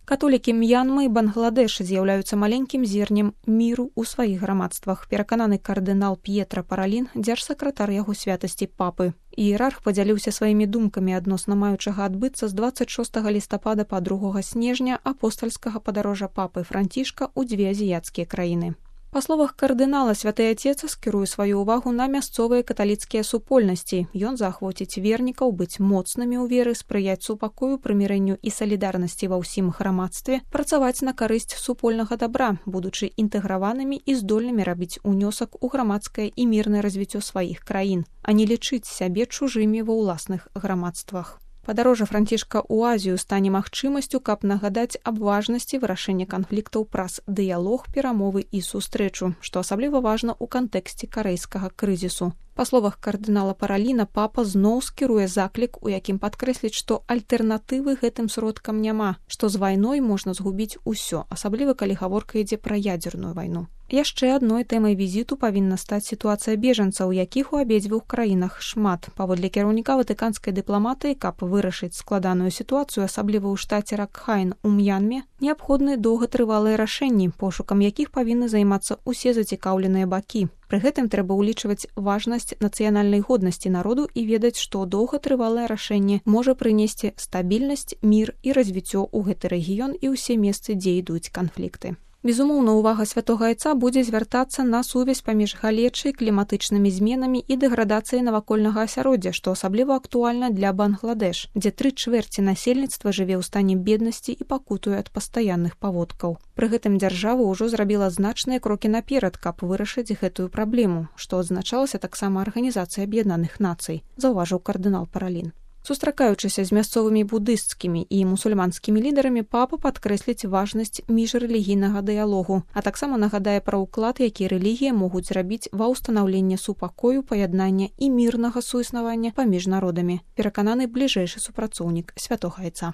Католікі М'янмы і Бангладеш з'яўляюцца маленькім зернем міру ў сваіх грамадствах, перакананы кардынал П'етра Паралін, дзяржсакратар яго святасці папы. Іерарх падзяліўся сваімі думкамі адносна маючага адбыцца з 26 лістапада па 2 снежня апостальскага падарожжа папы Францішка ў дзве азіяцкія краіны. Па словах кардынала, святы Отец скіруе сваю ўвагу на мясцовыя каталіцкія супольнасці. Ён заахвоціць вернікаў быць моцнымі ў веры, спрыяць супакою, прымірэнню і салідарнасці ва ўсім грамадстве, працаваць на карысць супольнага дабра, будучы інтэграванымі і здольнымі рабіць унёсак у грамадскае і мірнае развіццё сваіх краін, а не лічыць сябе чужымі ва ўласных грамадствах. Падарожжа Францішка ў Азію стане магчымасцю, каб нагадаць аб важнасці вырашэння канфліктаў праз дыялог, перамовы і сустрэчу, што асабліва важна ў кантэксце карэйскага крызісу. Па словах кардынала Параліна, папа зноў скіруе заклік, у якім падкрэсліць, што альтэрнатывы гэтым сродкам няма, што з вайной можна згубіць усё, асабліва калі гаворка ідзе пра ядзерную вайну. Яшчэ адной тэмай візіту павінна стаць сітуацыя бежанцаў, якіх у абедзвюх краінах шмат. Паводле кіраўніка ватыканскай дыпламатыі, каб вырашыць складаную сітуацыю, асабліва ў штаце Ракхайн у М'янме, неабходны доўгатрывалыя рашэнні, пошукам якіх павінны займацца ўсе зацікаўленыя бакі. Пры гэтым трэба ўлічваць важнасць нацыянальнай годнасці народу і ведаць, што доўгатрывалае рашэнне можа прынесці стабільнасць, мір і развіццё ў гэты рэгіён і ўсе месцы, дзе ідуць канфлікты. Безумоўна, увага святога Айца будзе звяртацца на сувязь паміж галечай, кліматычнымі зменамі і дэградацыяй навакольнага асяроддзя, што асабліва актуальна для Бангладеш, дзе 3/4 насельніцтва жыве ў стане беднасці і пакутуе ад пастаянных паводкаў. Пры гэтым дзяржава ўжо зрабіла значныя крокі наперад, каб вырашыць гэтую праблему, што адзначалася таксама Арганізацыяй Аб'яднаных Нацый, заўважыў кардынал Паралін. Сустракаючыся з мясцовымі будысцкімі і мусульманскімі лідарамі, папа падкрэсліць важнасць міжрэлігійнага дыялогу, а таксама нагадае пра ўклад, які рэлігіі могуць зрабіць ва ўстанаўленне супакою, паяднання і мірнага суіснавання паміж народамі, перакананы бліжэйшы супрацоўнік святога Айца.